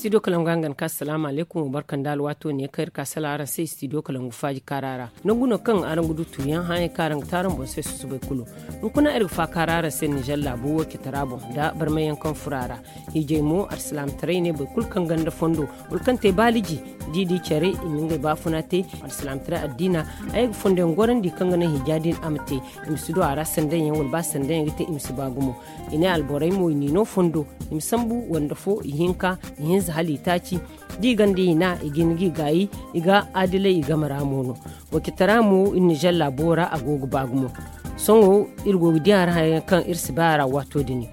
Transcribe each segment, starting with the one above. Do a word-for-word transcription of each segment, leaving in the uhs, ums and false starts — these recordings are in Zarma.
Studio kalangu hangan ka assalamu alaikum wa barkan da alwaato ne kaŋ iri ka sala araŋ se studio kalangu faaji kaara ra. Nangu no kaŋ araŋ ga du tuuyaŋ hããyaŋ kaŋ araŋ ga te araŋ boŋ se susubay kulu. Hunkuna iri ga faakaara araŋ se nizer laabo wo citara boŋ nda barmayaŋ kaŋ furo a ra. Hiijay mo alsilaamataray ne boro kulu kaŋ ganda fondo wala kaŋ te baaliji, da i di care i ma ngey baafuna te. Alsilaamataray addiina a ye ga fondoyaŋ gorandi kaŋ ga naŋ hiija din a ma te. I ma si du a ra sandanyaŋ wala ba sandanyaŋ ga te i ma si ba gumo. I ne alborey mo i n'i no fondo, i ma sambu wande fo, ihinka, ihinza hala itaaci. Da i ganda i hina i ga hin ga i gaayi. I ga adilay i game ra mo no. Wacitara mo iri nizer laabo ra a go ga ba gumo. Sohõ iri go ga di a ra haya kaŋ iri si bay a ra waato din.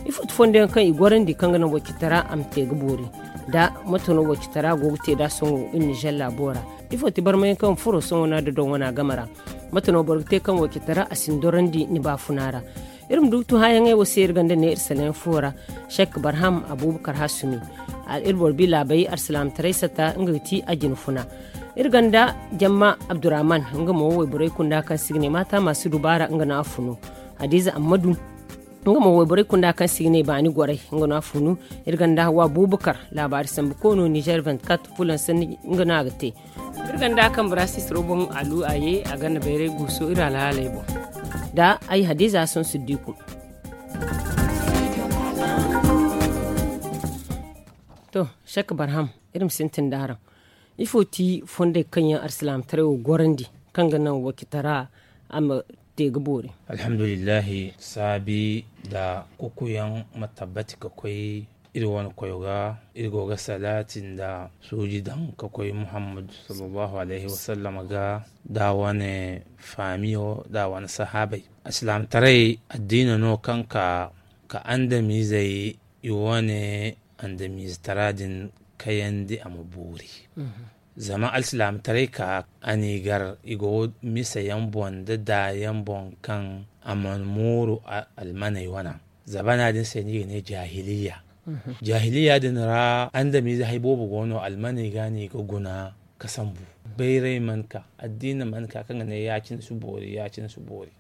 Ifo ti fondo yaŋ kaŋ i gorandi kaŋ ga naŋ wacitara a ma te ga boori? Da mate no wacitara go ga te nd'a sohõ iri nizer laabo ra? Ifo ti barmayaŋ kaŋ furo sohõ no a dodoŋ wana game ra? Mate no boro ga te kaŋ wacitara a si ni dorandi ni baafuna ra? Iri ma du ga tun hããyaŋey wo se iri ganda ne iri sanayaŋ fo ra. Sek barham abubakar hasumi. Iri boro bi laabey alsilaamataray sata nga ga ti a jina funa. Iri ganda jamma abdurrahman, nga mo wayborey kunda kaŋ si ga ne maata ma si dubaara nga no a funu. Hadiza ammadu, nga mo wayborey kunda kaŋ si ga ne baani gorey nga no a funu. Iri ganda hawa abubakar laabaari sambu koono nizer vingt-quatre fulan sanni nga no a ga te. Iri ganda kaŋ barasis roboŋ alu a ye a ganda bayray guuso iri alhaaley boŋ. Da ay hadiza son siddiku. To, sek barham, iri ma sintin da araŋ. Ifo ti fondey kaŋ yaŋ alsilaamataray wo gorandi kaŋ ga naŋ wacitara a ma te ga boori? Alhamdulillahi, saabi da kukuyaŋ ma tabbati ka koy iri wane koyo ga. Iri go ga salaati nda suuji daŋ ka koy muhammadu sallallahu alayhi wa sallam ga, da wane faamiyo da wane sahaabey. Alsilaamataray addiina no kaŋ ka ka andamiizey i wane andamiizatara din kayandi a ma boori. Zama alsilaamataray ka a n'i gar i go misayaŋ boŋ nda daayaŋ boŋ kaŋ a mana mooru almaney wana. Zabana din se no i ga ne jaahiliya. Jaahiliya din ra andamiize hari boobo go no almaney ga no i ga guna ka sambu. Bayray mana ka, addiina mana ka kaŋ ga ne ya-cine si boori, ya-cine si boori.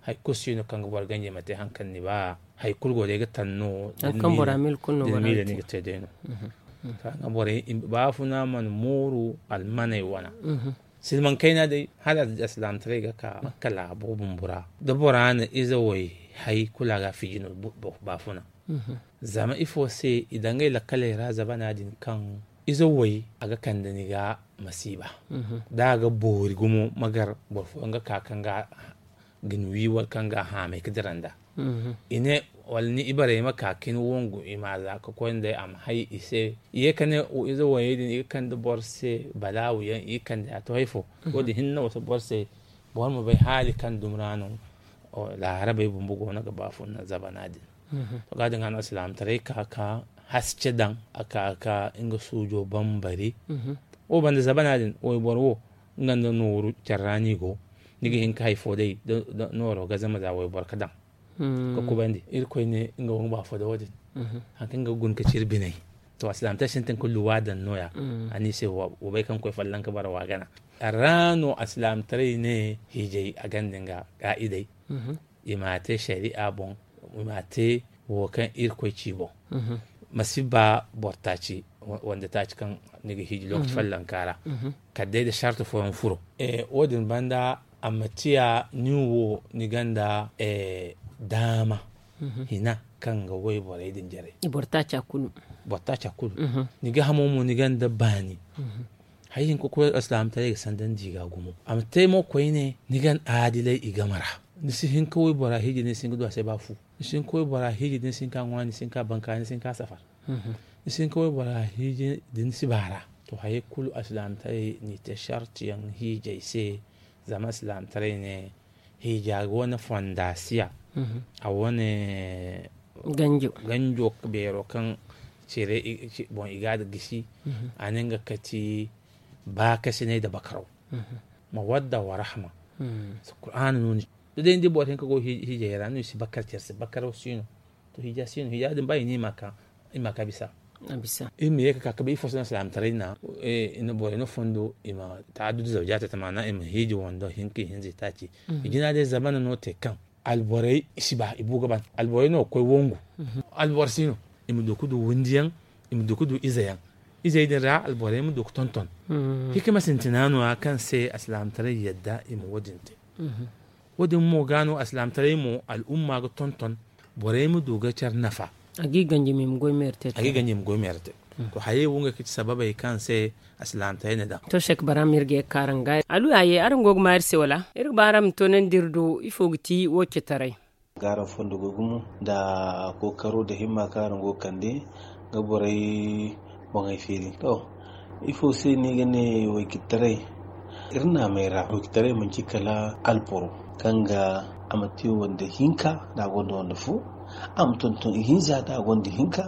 Hari kulu si no kaŋ ga boro ganji ma te hari kaŋ ni ba. Hari kulu go day ga taŋ no. Hari kaŋ bora miila kulu no bora ga te. Ni ga te day no. Kaŋ ga borey baafuna mana mooru almaney wana. Silmaŋ kayna day hala alsilaamataray ga ka makka laabo bumbo ra da bora na ize way hari kulu a ga a fiji no baafuna. Zama ifo se i daŋ ngey lakkaley ra zabana din kaŋ ize way a ga kande ni ga masiiba. Da a ga boori gumo ma gar boro fooyaŋ ga ka kaŋ ga ga ni wi wala kaŋ ga a haamay ga dira nd'a. I ne wala ni ibarey ma ka ka ni wangu i ma a za ka koy nd'ey a ma hay i se. I ye ka ne ize wayey din i ga kande boro se balaawu yaŋ i ga kande a to hay fo. Wo- din hinne wo- se boro se boro ma bay haali kaŋ dumi ra no. Laarabey bumbo go no ga baafunna zabana din. To ga- din ga no alsilaamataray ka ka haske daŋ a ka ka nga suujo bambari. Wo banda zabana din wayboro wo nga nda nooru care ra no i go. Ni ga hin ka hari fo day nooro ga zama za wayboro ga daŋ ka kubandi irkoy ne nga wo nga ba fo da wo- din. Hari kaŋ nga ga guna ka ci iri biney. To alsilaamataray sintin ka luwa daŋ nooya. A ne i se wa bay kaŋ koy folloŋ ka bara wa gana. A ra no alsilaamataray ne hiijay a ganda nga kaa'idey. I m'a te sariya boŋ. I m'a te wo kaŋ irkoy ci boŋ. Ma si ba boro taaci wande taaci kaŋ ni ga hiiji lokaci follanka ra. Kala day da sarti fooyaŋ furo. Wo- din banda a ma tiya nin wo ni ganda daama hina kaŋ ga wayborey din jaray. Boro taaca kulu. Boro taaca kulu. Ni ga hamo mo ni ganda baani. Hari hinka koy alsilaamataray ga sandandi i ga gumo a ma te mo koyne ni gan aadilay i game ra. Ni si hin ka waybora hiiji ni si hin ga du a se ba fu. Ni si hin ka waybora hiiji ni si hin ka ŋwa ni si hin ka banka ni si hin ka safar. Ni si hin ka waybora hiiji din si baara. To hayey kulu alsilaamataray n'i te sartiyaŋ hiijay se. Zama alsilaamataray ne hiija ga wane fondasiya. A wane ganjo beero kaŋ cire boŋ i ga a da gisi. A ne nga kati baakasinay da bakaraw. Ma wadda wa rahma. Kuraana no ni da day ni di boro hinka go hiijay ra no i si bakar care se bakaraw si no. To hiija si no hiija din ba i ne i ma ka bisa. Iri ma ye ka ka kabe ifo se no alsilaamataray na i na borey no fondo i ma taadud zawjaata tamaana i ma hiiji wando hinka i hinza i taaci. I jina day zamana no te kaŋ alborey i si ba i bu ga ban alborey no ga koy wangu. Alboro si no i ma du ga du windi yaŋ. i ma du ga du ize yaŋ. Izey din ra alborey ma du ga tonton. Hikima sintina no- ya kaŋ se alsilaamataray yadda i ma wo- din te. Wo- din mo ga no alsilaamataray mo al'umma ga tonton borey ma du ga care nafa. A ga i ganji ma i ma goy meeri te. To hayey wo ngey ga ci sababey kaŋ se alsilaamataray na daŋ. To sek bara ma iri ga ye ga kaara nga alu a ye araŋ go ga ma iri se wala iri ga ba araŋ ma toonandi iri do ifo ga ti wo citaray? Ga araŋ fondo go gumo nda kookaro nda himma kaŋ araŋ go ga kande ga borey boŋey feeri. To ifo se no i ga ne? Waykitaray iri naamey ra waykitaray manci kala alboro kaŋ ga a ma te wande hinka nda a gonda wande fo. A ma tonton ihinza nda a gonda hinka.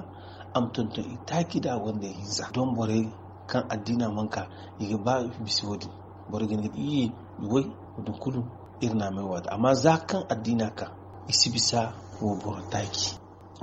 A ma tonton itaaci nda a gonda ihinza don borey kaŋ addiina mana ka i ga ba bisa wo-din. Borey ga hin ga di iyye i goy wo-din kulu iri naamey waati amma za kaŋ addiina ka i si bisa wayboro taaci.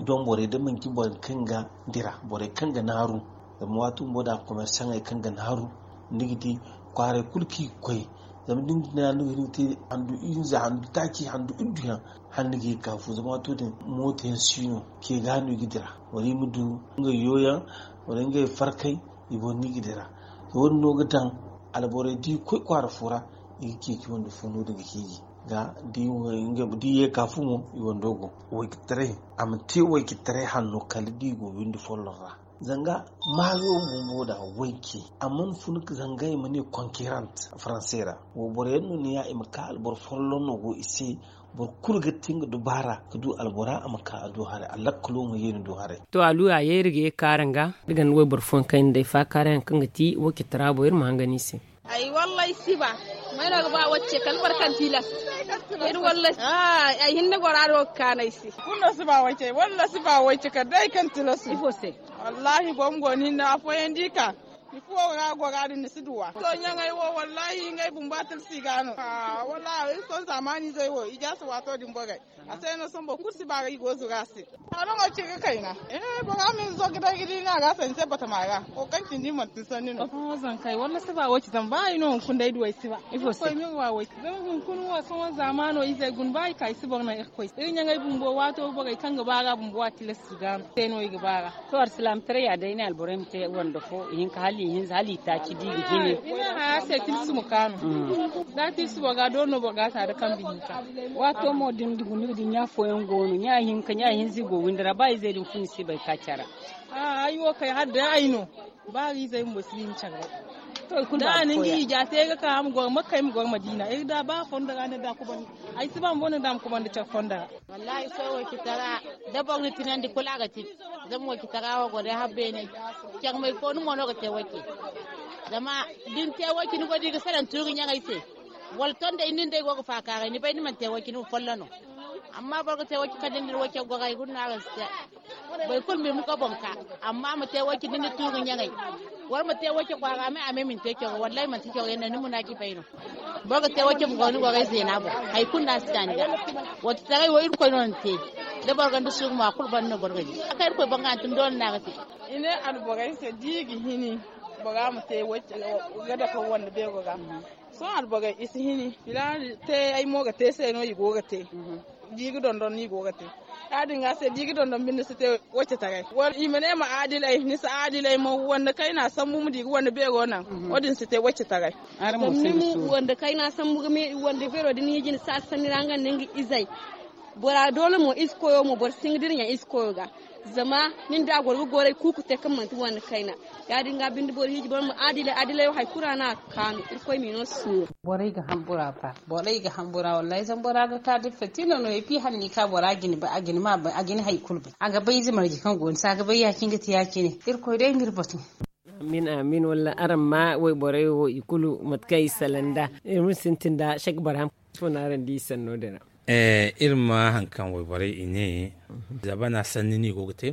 Don borey da manci borey kaŋ ga dira borey kaŋ ga naaru zama waati bumbo da komersaŋey kaŋ ga naaru ni ga di kwaaray kulu kaŋ i ga koy. Zama da ni ga di naaru ni ga hin ga te handu ihinza handu taaci handu iddu yaŋ hala ni ga ye ga ka fu zama waato din mooto yaŋ si no ke ga no i ga dira wala i ma du ngey yooyaŋ wala ngey farkay i boŋ no i ga dira. To wo- din no ga daŋ alborey da i ga koy kwaara fo ra i ga ceeci wande fo no- din ga hiiji ga da i ye ga ka fu mo i wando go. Waykitaray a ma te waykitaray hanno kala da i go windi folloŋ ra. Zanga maayo bumbo da wayke a mana fun zanga i ma ne konkerant faranse ra. Wayboro yaŋ no ni ya i ma ka alboro folloŋ no go i se. Boro kulu ga te nga dubaara ga du albora a ma ka a du haray a lakkalo ma ye ni du haray. To alu a ye iri ga ye ga kaara nga iri ganda wayboro fooyaŋ kaŋ iri na day faakaara yaŋ kaŋ ga ti wayke tara boŋ iri ma hangan i se. Ay wallay si ba. May no ga ba wacce kala boro kaŋ tilas. Iri wallay ay hinne gora do ga kaanu ay se. Kulu no si ba wacce wallay si ba wacce kala day kaŋ tilas. Ifo se? Wallahi gomgo ni hinne afooyaŋ di ka. Ni fuwo ga gora din ni si duwa to ɲaŋey wo wallahi ngey bumbo a tilsi ga no. Wallahi iri sohõ zaamaani izey wo i jaasa waato din borey. A se no sohõ boro kulu si ba ga i go zuru a se. Araŋo ci ga kayna. Bora ma ni zo ga day ga di no a ga a se ni se batama ra wo kaŋ cindi manti ni sanni no. Sohõ zankey walla si ba wo ci zama ba ay no hunkuna day duw'ey si ba. Ifo se? Koy ma iri wa wo ci zama hunkuna wo sohõ zaamaano izey guna ba i ka i si boro naŋ irkoy se iri ɲaŋey bumbo waato borey kaŋ ga baara bumbo a tilas si ga no se no i ga baara. To alsilaamataray ya day ne alborey ma te wando fo ihinka hala ihinza hala itaaci da i ga hini. Haya se tilsi ma kaanu. Da tilsi boro ga doori no boro ga a ta da kambe hinka. Waato mo da ni ga guna ga di ɲa fooyaŋ go no ɲa hinka ɲa hinza i go windi ra ba izey din fun i si bay ka care. Ay wo kay hala day ay no. Ba ga izey bumbo si ni ma care bay. Da a na nga ija te ay ga ka a ma goro makka ay ma goro madiina ay ga da ba fondo ra ni da kubandi. Ay si ba bumbo ni da a ma kubandi care fondo ra. Wallahi sohõ wo ci tara. Da boro na tinandi kulu a ga tin. Zama wo ci tara wo go day habbe ne. Care may fo ni mo no ga te wo ci. Zama da ni te wo ci ni go da i ga salaŋ tuuri ɲaŋey se. Wala tonday nin day go ga faakaaray ni bay ni mana te wo ci ni ma follo no. Amma boro ga te wo ci kala da ni da wo care goro ay guna no araŋ si te. Boro kulu ma i muka boŋ ka. Amma ma te wo ci da ni da tuuri ɲaŋey. Wala ma te wo ci kwaara me a me ma ni te coro wallahi manti coro yaŋ no ni muna ci bay no. Boro ga te wacce ma goro ni gorey zeena boŋ. Hari kulu no a si ka ni ga. Wacce taray wo irkoy no ni te. Da boro gonda suuru mo a kulu banda no boro ga di a ka irkoy boŋ ga hantum doole no a ga te. I ne alborey se da i ga hini bora ma te wacce ga dake wande beero ga. Sohõ alborey i si hini filaana te ay mo ga te se no i go ga te. Da i ga dondon no i go ga te. Ya- din ga se da i ga dondon binde si te wacce taray wala i ma ne ma aadilay ni si aadilay ma wande kayna sambu ma di ga wande beero naŋ. Wo- din si te wacce taray. Zama ni ma wande kayna sambu ga me wande beero da ni hiji ni si a sanni ra nga nda nga izey. Bora doole mo ize koyo mo boro si hin ga dira ɲa ize koyo ga. Zama nin da a goro ga goray kuuku te kaŋ manti wande kayna. Ya- din ga binde boro hiji boro ma aadilay aadilay wo hari kulu ra no a ga kaanu irkoy m'i no suuru. Borey ga hambura fa borey ga hambura wallahi zama bora ga ka da fatina no ya fi hanni ka bora gini bay a gini ma bay a gini hari kulu bay a ga bay ize marje kaŋ go ni se a ga bay ya- cine ga te ya- cine. Irkoy day ma iri batu. Amin amin walla araŋ ma wayborey wo i kulu mate kaŋ i salaŋ nd'a. Iri ma sintin nda sek barham fo no araŋ di i sanno din ra. Iri ma haŋ kaŋ wayborey i ne zabana sanni no i go ga te.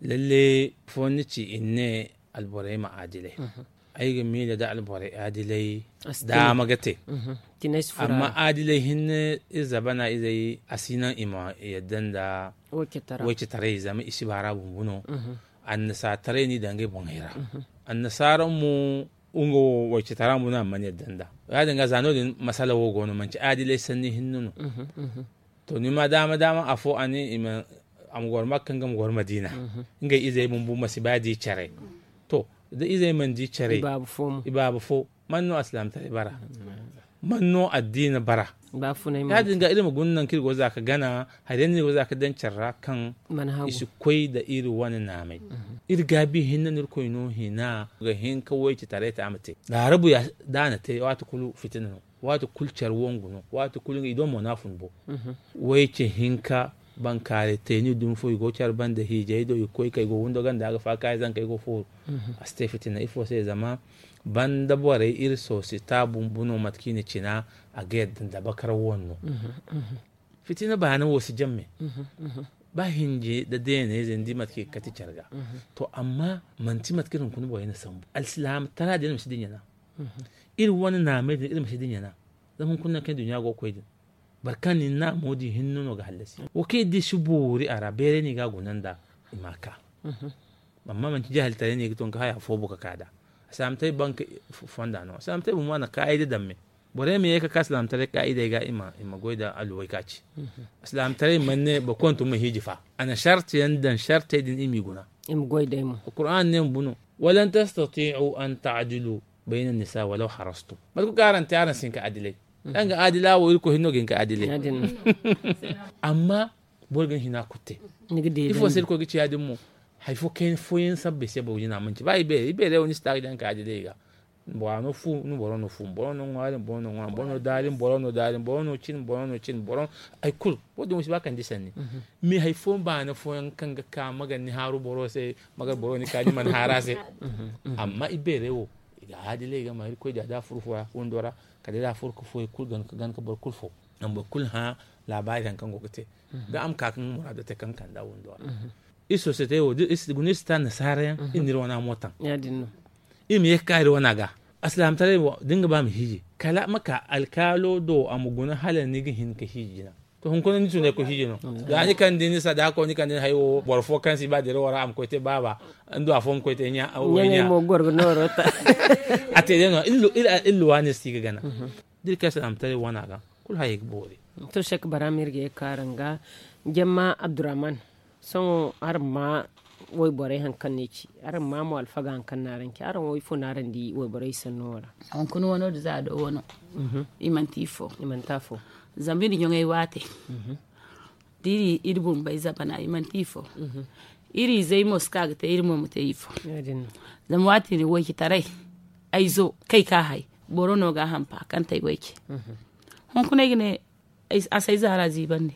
Lalle fo ni ci i ne alborey ma aadilay. Ay ga miila da alborey aadilay daama ga te. Amma aadilay hinne iri zabana izey a si naŋ i ma yadda nda waycetaray zama i si baara bumbu no. Annasaataray no i daŋ ngey boŋey ra. Annasaara mo nga wo waycetara mo no a mana yadda nda ya- din ga za no- din masala wo go no manci aadilay sanni hinne no. To ni ma daama daama afo a ne i ma a ma goro makka nga ma goro madiina. Ngey izey bumbo ma si ba di care. To, da izey mana di care, i baaba fo man no alsilaamataray bara? Man no addiina bara? Ya- din ga iri ma guna nangu kaŋ iri go za ga gana hari yaŋ no iri go za ga daŋ care ra kaŋ i si koy nda iri wane naamay. Iri gaabi hinne no iri koy no hina ga hin ka wayce taray te a ma te. Laarabu ya da a na te waati kulu fitina no. Waati kulu care wangu no. Waati kulu i do mo no a fun bo. Wayce hinka bankaaray te ni dumi fo i go care banda hiijay do i ga koy kay go windo ganda ga faakaaray zankey go fooru. A si te fitina ifo se zama banda borey iri soosita bumbu no mate kaŋ i na cina. A ga yadda nda bakar wanno. Fitina baana wo si jamme. Ba hinje nda deeney zey ni di mate kaŋ i ga kati care ga. To amma manti mate kaŋ iri hunkuna borey na sambu alsilaama tara din ma si dinya na. Iri wane naamey din iri ma si dinya na. Zama hunkuna nangu kaŋ duɲɲa go ga koy din boro kaŋ ni naamo din hinne no ga hallasi wo kaŋ iri di si boori a ra beeray no i ga a guna nda i ma a ka. Amma manti jahiltaray no i ga to ni ga haya foobo ga ka nd'a. Alsilaamataray banka fonda no alsilaamataray bumbo a na kaayida daŋ me. Borey ma ye ga ka alsilaamataray kaayidey ga i ma goy nda alluway ka ci. Alsilaamataray mana ne boro kulu ma tun ma hiiji fa. A na sarti yaŋ daŋ sartey din i m'i guna. Alkur'aana ne bumbo no, walan tastatiicu an taadilu bayna nisa walaw harastum. Mate kulu kaŋ araŋ te araŋ si hin ka adilay. Danga adila wo irkoy hinne no ga hin ka adilay. Amma boro ga ni hina kulu te. Ifo se irkoy ga ci ya- din mo? Hari fo kayna fooyaŋ sabbay se boro ga jina manci ba i beeray i beeray wo ni si ta ga jina ka adilay i ga. Bora no fu ni boro no fu boro no ŋwaari boro no ŋwaari boro no daari boro no daari boro no cin boro no cin boro no hari kulu. Wo- din wo si ba kande sanni. Mais hari fo baana fooyaŋ kaŋ ga ka magar ni haaru boro se magar boro ni ka ni mana haaru a se. Amma i beeray wo i ga adilay i ga ma irkoy da da furo fo ra windo ra kala day da a furo ga fo hari kulu gana ga boro kulu fo. Zama boro kulu hã laabaari hari kaŋ go ga te. Da a ma ka ga nga muraado te kaŋ ga kand'a windo ra. Iri société wo da iri si ta annasaara yaŋ iri na iri wana mo taŋ. Iri ma ye ga ka iri wana ga alsilaamataray wo da ni ga ba ma hiiji kala ma ka alkaalo do a ma guna hala ni ga hin ga hiiji jina. To hunkuna ni tunay ga koy hiiji no. Za ni kande ni sadaako ni kande ni hayo wo boro fo kaŋ si ba dira wo ra a ma koy te baaba. Ni du afo ma koy te ɲa. A te day no iri luwa ne si ga gana. Da iri kay alsilaamataray wana ga kulu hayey ga boori. To sek bara ma iri ga ye ga ka araŋ ga jamma abdurrahman. Sohõ araŋ ma wayborey hari kaŋ no i ci araŋ ma mo alfaga hari kaŋ no araŋ ci araŋ wo ifo no araŋ di wayborey sanno wo ra? Hunkuna wano da za a do wano. I manti ifo. I manti afo. Zama iri ɲoŋey waate da iri iri bumbey zabana i manti ifo. Iri izey mo si ka ga te iri mo ma te ifo. Zama waati din waycitaray ay zo kay ka hay boro no ga a hampa kaŋ te ay wayce. Hunkuna ay ga ne a si ay zaara ziibandi.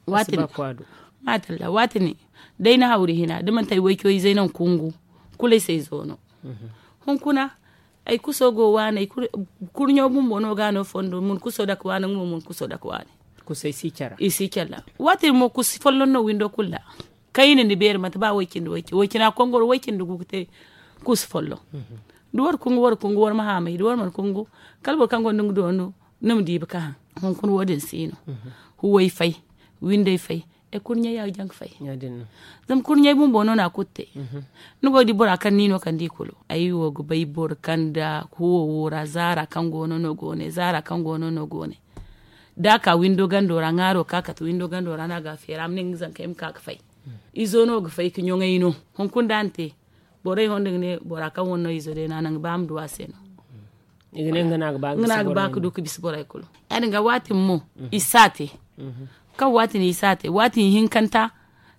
Waati din day na hawri hina da manti ay wayco izey no ga kungu kulu ay si ay zo no. Hunkuna ay kuso go waani kurɲo bumbo no ga no fondo mun kuso dake waani nga mo mun kuso dake waani. I si care ra waati din mo kusi folloŋ no windo kulu ra. Kayna ni beeri manti ba way cindi way cindi way cina kongoro way cindi gu ga te. Kusi folloŋ da war kungu war kungu war ma haamay da war mana kungu kala boro kaŋ gonda nga doonu. Ni ma diibi ka haŋ hunkuna wo- din si no. Huway fay windey fay. Ay kurɲey ya ga jaŋ ga fay. Zama kurɲey bumbo no no a kulu te. Ni go ga di bora kaŋ ni no kande i kulu ay wo ga bay boro kaŋ da huwo wo ra zaara kaŋ go no no go ne zaara kaŋ go no no go ne. Da a ka windo gando ra ŋaaro ka kate windo gando ra no a ga a feera a ma ne nga zankey ma ka ga fay. Izo no ga fay ga ɲoŋay no. Hunkuna da a na te borey honda ga ne bora kaŋ wane no izo day no a naŋ ga ba a ma du a se no. Nga no a ga ba ga du ga bisa borey kulu. Ya- din ga waati mo i si a te. Kaŋ waati no i si a te waati hinkanta.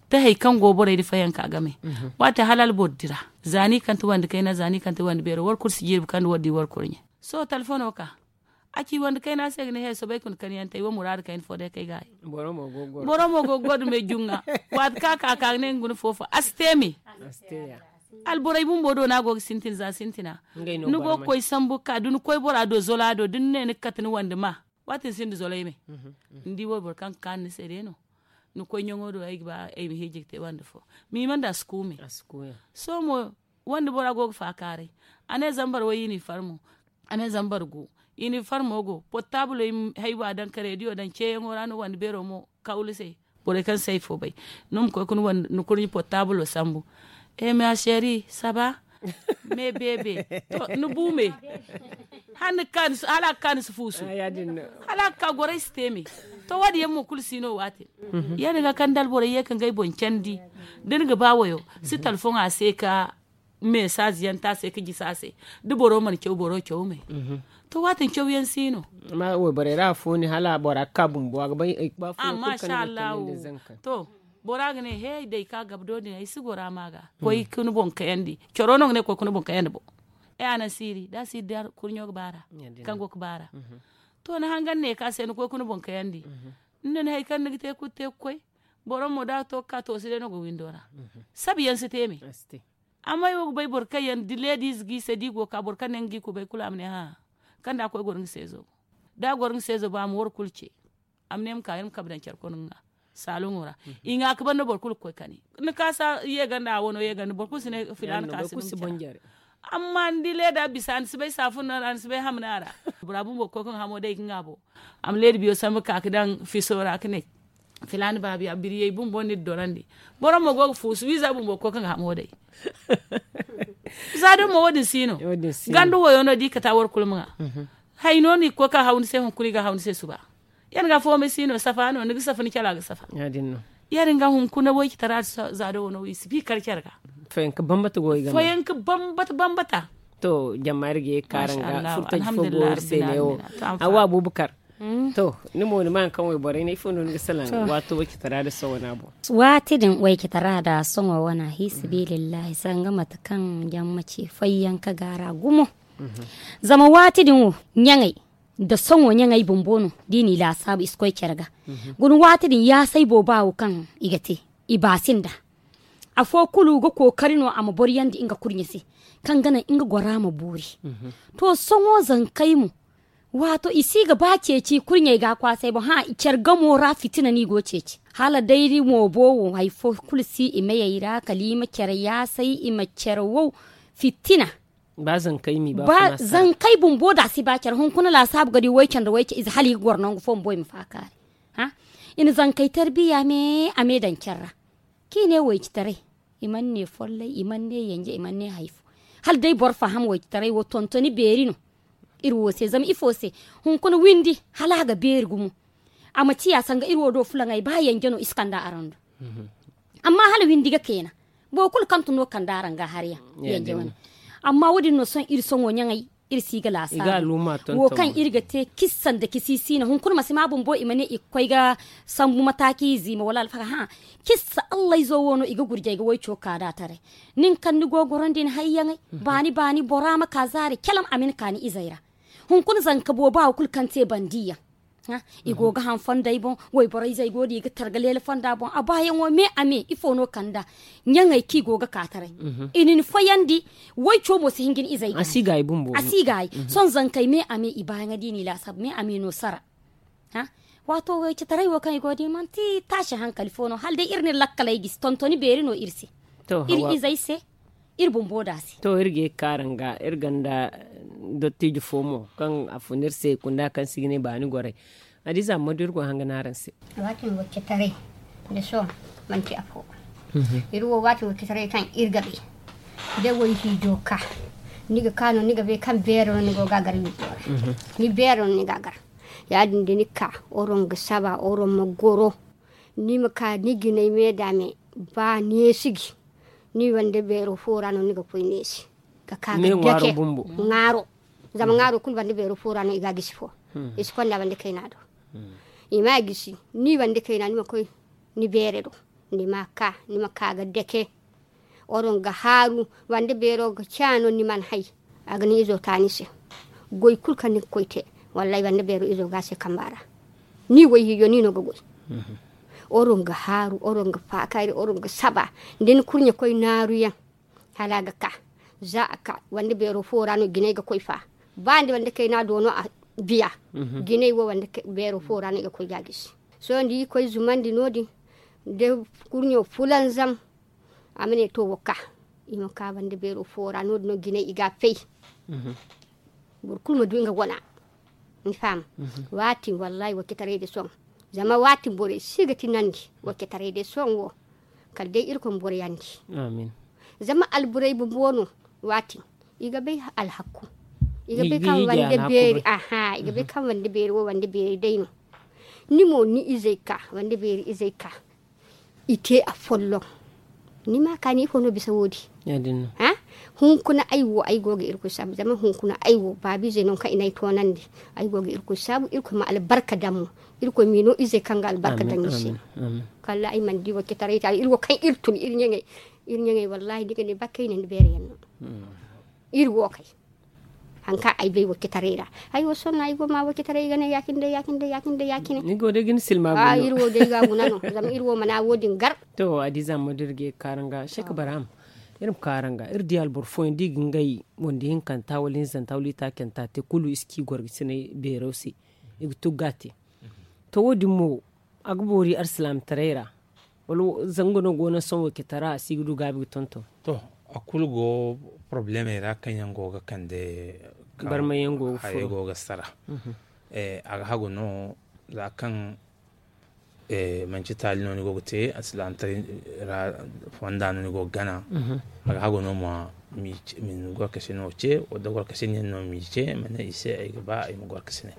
Te hari kaŋ go borey da fayanka game waati hala alboro dira. Za no i kante wande kayna za no i kante wande beero war kulu si jirbi kaŋ da war di war kurɲe. Sohõ telefono ka a ci wande kayna se ga ne he soobay kuna kaŋ yaŋ te ay wo muraadu kayna fo day kay ga hay. Boro mo go ga goro me juŋa. Waati kaŋ a ka ka ga ne nga guna fo fo a si te me. Alborey bumbo do no a go ga sintin za sintina. Ni go ga koy sambu ga ka da ni koy bora do zola do da ni ne ni ga kate ni wande ma. Waati ni sinda zolay me. Ni di wayboro kaŋ ga kaanu ni se day no. Ni koy ɲaŋo do ay ga ba ay ma hiiji ga te wande fo. Mima nda a si kuume. Sohõ mo wande bora go ga faakaaray. A ne zambar way i n'i farmo. A ne zambar gu i n'i farmo go portaabuley. Haywa daŋ ka rediyo daŋ ceeyaŋo ra no wande beero mo kawlu se. Borey kaŋ si hay fo bay ni ma koy ga ni kurɲe portaabilo sambu. Ema seeri saba. Me beebe. To ni bu me. Hala a ga ka ni si fuusu. Hala a ga ka gorey si te me. To, wo- din yaŋ mo kulu si no waati. Ya- din ga kaŋ da alborey ye ka ngey boŋ candi, da ni ga ba wayo, si talfoŋ a se ka mesaaz yaŋ te a se ka jisi a se. Da boro mana caw boro caw me. To, waati caw yaŋ si no. Amma wayborey ra afo ni hala bora ga ka bumbo a ga bay. Amma sha allahu. To, bora ga ne he day ka gabdo din ay si gora ma ga koy ka ni boŋ kayandi. Coro no ga ne koy ka ni boŋ kayandi bo. Ay a naŋ siiri da siiri da kurɲo ga baara. Kaŋ go ga baara. To, ni hangan ne ka se ni koy ka ni boŋ kayandi. Ni na ni hari kaŋ ni ga te kulu te ga koy. Boro mo da a to ga ka to si day no ga windo ra. Sabi yaŋ si te me. Amma ay wo ga bay boro kaŋ yaŋ da leediize g'i se da i go ga ka boro kaŋ ne nga g'i kubay kulu a ma ne hã. Kaŋ da a koy goro nga se zo. Da a goro nga se zo ba a ma war kulu ce. A ma ne ma ka iri ma kabe daŋ care kono nga saaloŋo ra. I ŋwa ka banda boro kulu ga koy kani. Ni kaasa ye ganda a wano ye ganda boro kulu si ne filaana kaasa ni ma care. Amma ni di leeda bisa ni si bay saafun no ra ni si bay hamna ra. Bora bumbo ga koy ka nga hamo day ga nga bo. A ma leeda biyo sambu ka ga daŋ fiso ra ka ne. Filaana baabiya biriyey bumbo no iri dorandi. Boro mo go ga fuusu wiiza bumbo ga koy ka nga hamo day. Za din mo wo- din si no. Ganda wayo no da i kata war kulu ma ŋwa. Hay no no i ga koy ka haw ni se hunkuna i ga haw ni se suba. Yar ga foomay si no safa no ni ga safa ni cala ga safa. Ya- din ga hunkuna waykitara za do wano i si bi kar care ga. Foyanka bambata go i ga foyanka bambata bambata. To jamma iri ga ye ga kaara nga furtaji fo go iri se ne wo. Hawa abubakar. To ni mo ni ma haŋ kaŋ wayborey ne ifo no ni ga salaŋ waato waykitara da soŋo wana boŋ. Waati din waykitara da soŋo wana hi sabilillahi sanga mate kaŋ jamma ce foyanka ga ra gumo. Zama waati din wo ɲaŋey da soŋo ɲaŋey bumbo no da i n'i laasaabu i si koy care ga. Guna waati din yaasay booba wo kaŋ i ga te i baasinda. Afo kulu ga kookari no a ma boryandi nga kurɲe se kaŋ ga naŋ nga gora ma boori. To soŋo zankey mo waato i si ga ba ceeci kurɲey ga a kwaasay boŋ hã care gamo ra fitina no i go ceeci hala day moobo wo hari fo kulu si i meyey ra kala i ma care yaasay i ma care wow. Fitina. Ba zankey mi ba ba zankey bumbo da a si ba care hunkuna laasaabu ga di wayce nda wayce ize hala i ga goro nangu fo bumbo i ma faakaari. I na zankey tarbiya me a me daŋ care ra. Kaŋ i ne waycitaray i mana ne follay i mana ne yanje i mana ne hari fo. Hala day boro faham waycitaray wo tontoni beeri no. Iri wo se zama ifo se? Hunkuna windi hala a ga beeri gumo. A ma ciya sanga iri wo do fulaŋey ba yanje no i si kande araŋ do. Amma hala windi ga keena boro kulu kaŋ tun no kande araŋ ga hari yaŋ. Yanje wane. Amma wo- din no sohõ iri sohõ ɲaŋey iri si ga laasaabu wo kaŋ iri ga te kissa nda kisiisiina hunkuna masi ma bumbo i ma ne i ga koy ga sambu mataaci ziima wala alfaga hã. Kissa allay zo wo no i ga gurjay ga wayco ka da taray. Nin kaŋ ni go ga gorandi ni hayyaŋey baani baani bora ma ka zaari calam a ma ni ka ni izey ra. Hunkuna zanka booba wo kulu kaŋ te bandiyaŋ. I go ga haŋ fonday boŋ wayborey zey go no i ga targa leela fonda boŋ a baayaŋo me a me ifo no kand'a? Ɲaŋey kaŋ i go ga ka taray i na ni foyandi. Wayco mo si hin ga ni izey ga a si gaayi bumbo a si gaayi. Sohõ zankey me a me i baayaŋo da i n'i laasaabu me a me no sara. Waato waycitaray wo kaŋ i go ga di manti taasi hankali fo no hala day iri na iri lakkaley gisi tontoni beeri no iri se. Iri izey se iri bumbo da se. To iri ga ye ga kaara nga iri gonda dottijo fo mo kaŋ a fun iri se kunda kaŋ si ga ne baani gorey. Hadiza amma da iri go hanga no araŋ se. Waati ma wacce taray da sohõ manti afo. Iri wo waati wacce taray kaŋ iri ga bay da wayhiijo ka ni ga ka no ni ga bay kaŋ beero no ni go ga a gar wiijo ra. Ni beero no ni ga a gar. Ya- din da ni ka oroŋ ga saba oroŋ ma goro. Ni ma ka ni jinay me da me ba neesi gi. Ni wande beero fo ra no ni ga koy neesi ga ka ga dake ŋwaaro. Zama ŋwaaro kulu bande beero fo ra no i ga a gisi fo. I si konda bande kayna do. I ma a gisi ni bande kayna ni ma koy ni beere do. Ni ma ka ni ma ka ga dake. Oroŋ ga haaru bande beero ga caano ni mana hay. A ga ni izo ta ni se. Goy kulu kaŋ ni ga koy te wallaahi bande beero izo ga a se kamba ra. Ni wayhiijo ni no ga goy. Oroŋ ga haaru oroŋ ga faakari oroŋ ga saba. Da ni kurɲe koy naaru yaŋ hala a ga ka. Za a ka wande beero fo ra no jinay ga koy fa. Ba nda wande kayna do no a biya. Jinay wo wande beero fo ra no i ga koy ga a gisi. Sohõ da i koy zumandi no- din da kurɲo fulanzam. A ma ne to wo ka i ma ka bande beero fo ra no- din no jinay i ga a fay. Boro kulu ma du nga wana. Ni faham? Waati wallaahi wacce taray day sohõ. Zama waati borey si ga tinandi wacce taray day sohõ wo. Kala day irkoy ma boroyandi. Zama alburey bumbo no waati i ga bay alhakku. I ga bay kaŋ wande beeri aha i ga bay kaŋ wande beeri wo wande beeri day no. Ni mo ni izey ka wanda beeri izey ka i te afolloŋ. Ni ma ka ni ifo no bisa wo- din? Hunkuna ay wo ay go ga irkoy saabu zama hunkuna ay wo baabu izey no kaŋ i na ay toonandi. Ay go ga irkoy saabu irkoy ma albarka daŋ mo. Irkoy m'i no izey kaŋ ga albarka daŋ i se. Kala ay mana di wacce taray taali iri wo kaŋ iri tun iri ɲaŋey. Iri ɲaŋey wallahi ni ga ne ba kayna ni beere yaŋ no. Iri wo kay. Haŋ kaŋ ay bay wacce taray ra. Ay wo sohõ no ay go ma wacce taray ay ga ne ya- cine day ya- cine day ya- cine day ya- cine. Iri wo day ga guna no zama iri wo mana wo- din gar. To adiiza ma da iri ga ye ga kaara nga sek baraham. Iri ma kaara nga iri di alboro fooyaŋ da i ga ngey wanda hinkanta wala hinzanta wala itaacanta te kulu i si ci gorgasinay beero se. I ga tugga te. To wo- din mo a ga boori alsilaamataray ra? Wala zanga no go no sohõ wacce tara a si ga du gaabi ga tonton? To a kulu go porobulemey ra kaŋ yaŋ go ga kande barmay yaŋ go ga sara. A ga hagu no za kaŋ manci taali no ni go ga te alsilaamataray ra fonda no ni go ga gana. A ga hagu no ma gorkasi no ce wadda gorkasi nin no ma i ce ma ne i se ay ga ba ay ma gorkasi ne.